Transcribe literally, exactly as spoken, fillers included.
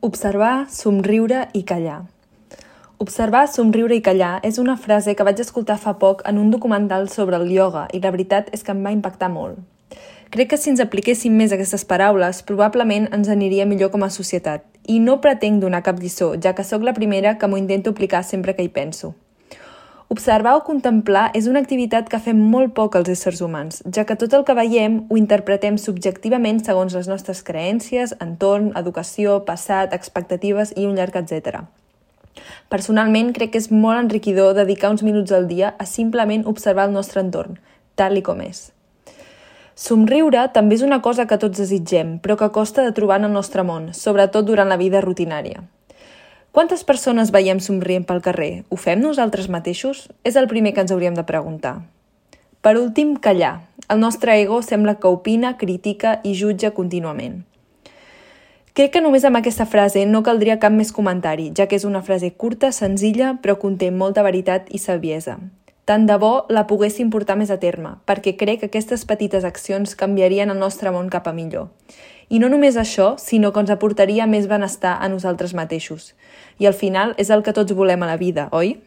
Observar, somriure i callar. Observar, somriure i callar és una frase que vaig escoltar fa poc en un documental sobre el ioga i la veritat és que em va impactar molt. Crec que si ens apliquéssim més aquestes paraules, probablement ens aniria millor com a societat. I no pretenc donar cap lliçó, ja que sóc la primera que m'ho intento aplicar sempre que hi penso. Observar o contemplar és una activitat que fem molt poc els éssers humans, ja que tot el que veiem ho interpretem subjectivament segons les nostres creences, entorn, educació, passat, expectatives i un llarg etcètera. Personalment, crec que és molt enriquidor dedicar uns minuts al dia a simplement observar el nostre entorn, tal i com és. Somriure també és una cosa que tots desitgem, però que costa de trobar en el nostre món, sobretot durant la vida rutinària. Quantes persones veiem somrient pel carrer? Ho fem nosaltres mateixos? És el primer que ens hauríem de preguntar. Per últim, callar. El nostre ego sembla que opina, critica i jutja contínuament. Crec que només amb aquesta frase no caldria cap més comentari, ja que és una frase curta, senzilla, però conté molta veritat i saviesa. Tant de bo la poguéssim portar més a terme, perquè crec que aquestes petites accions canviarien el nostre món cap a millor. I no només això, sinó que ens aportaria més benestar a nosaltres mateixos. I al final és el que tots volem a la vida, oi?